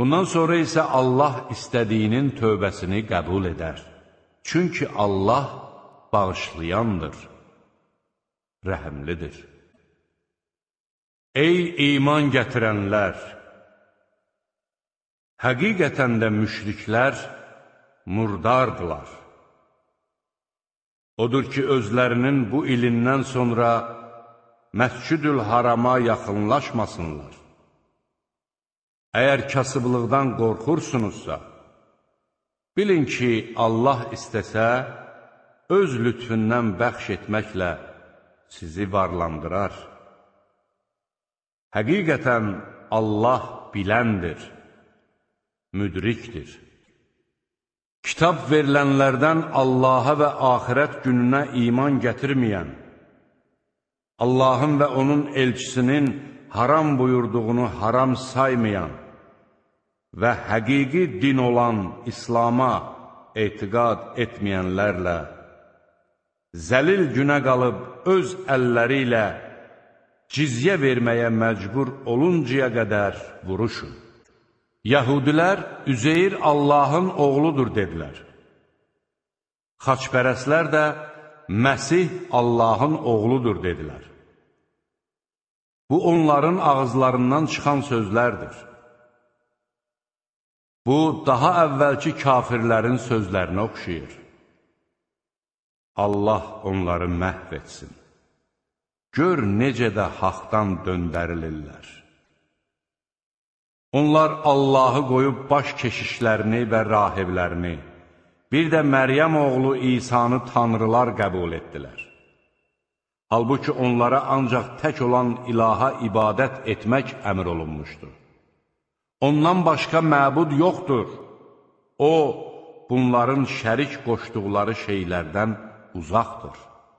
Bundan sonra isə Allah istədiyinin tövbəsini qəbul edər. Çünki Allah bağışlayandır, rəhəmlidir. Ey iman gətirənlər! Həqiqətən də müşriklər murdardılar. Odur ki, özlərinin bu ilindən sonra Məscid-ül Harama yaxınlaşmasınlar. Əgər kasıblıqdan qorxursunuzsa, bilin ki, Allah istəsə, öz lütfündən bəxş etməklə sizi varlandırar. Həqiqətən Allah biləndir, müdrikdir. Kitab verilənlərdən Allaha və axirət gününə iman gətirməyən, Allahın və onun elçisinin haram buyurduğunu haram saymayan və həqiqi din olan İslama etiqad etməyənlərlə zəlil günə qalıb öz əlləri ilə cizyə verməyə məcbur oluncaya qədər vuruşun. Yəhudilər Üzeyir Allahın oğludur dedilər. Xaçpərəslər də Məsih Allahın oğludur dedilər. Bu, onların ağızlarından çıxan sözlərdir. Bu, daha əvvəlki kafirlərin sözlərinə oxşayır. Allah onları məhv etsin. Gör necə də haqdan döndərilirlər. Onlar Allahı qoyub baş keşişlərini və rahiblərini, bir də Məryəm oğlu İsanı tanrılar qəbul etdilər. Halbuki onlara ancaq tək olan ilaha ibadət etmək əmr olunmuşdur. Ondan başqa məbud yoxdur. O, bunların şərik qoşduqları şeylərdən uzaqdır.